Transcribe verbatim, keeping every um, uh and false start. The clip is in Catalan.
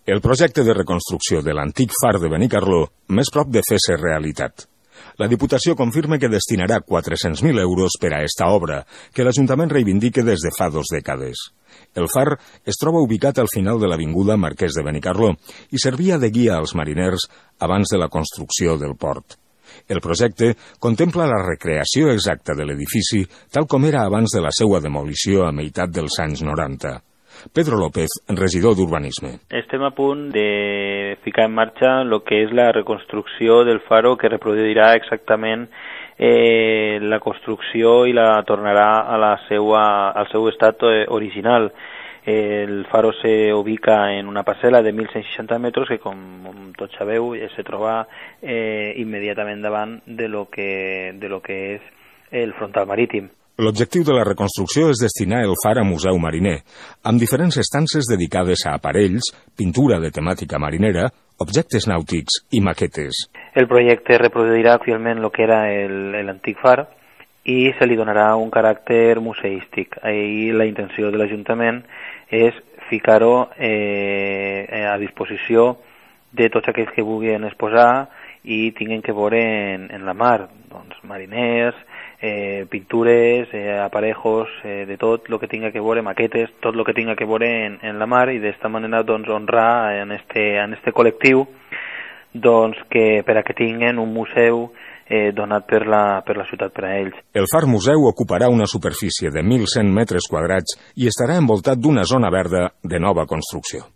El projecte de reconstrucció de l'antic far de Benicarló més prop de fer-se realitat. La Diputació confirma que destinarà quatre-cents mil euros per a esta obra, que l'Ajuntament reivindica des de fa dos dècades. El far es troba ubicat al final de l'avinguda Marquès de Benicarló i servia de guia als mariners abans de la construcció del port. El projecte contempla la recreació exacta de l'edifici tal com era abans de la seva demolició a meitat dels anys noranta. Pedro López, regidor d'Urbanisme. Estem a punt de ficar en marxa el que és la reconstrucció del faro, que reproduirà exactament eh, la construcció i la tornarà a la seua, al seu estat original. El faro se ubica en una parcel·la de mil cent seixanta metres que, com tots sabeu, se troba eh, immediatament davant de lo que, de lo que és el frontal marítim. L'objectiu de la reconstrucció és destinar el far a museu mariner, amb diferents estances dedicades a aparells, pintura de temàtica marinera, objectes nàutics i maquetes. El projecte reproduirà fielment el que era l'antic far i se li donarà un caràcter museístic. Ahir la intenció de l'Ajuntament és ficar-ho eh, a disposició de tots aquells que vulguin exposar i tinguin que veure en, en la mar, doncs mariners, eh, pintures, eh, aparejos, eh, de tot el que tinga que veure, maquetes, tot el que tinga que veure en, en la mar, i d'esta manera doncs honrar en este, en este col·lectiu doncs que per a que tinguen un museu eh, donat per la, per la ciutat per a ells. El far museu ocuparà una superfície de mil cent metres quadrats i estarà envoltat d'una zona verda de nova construcció.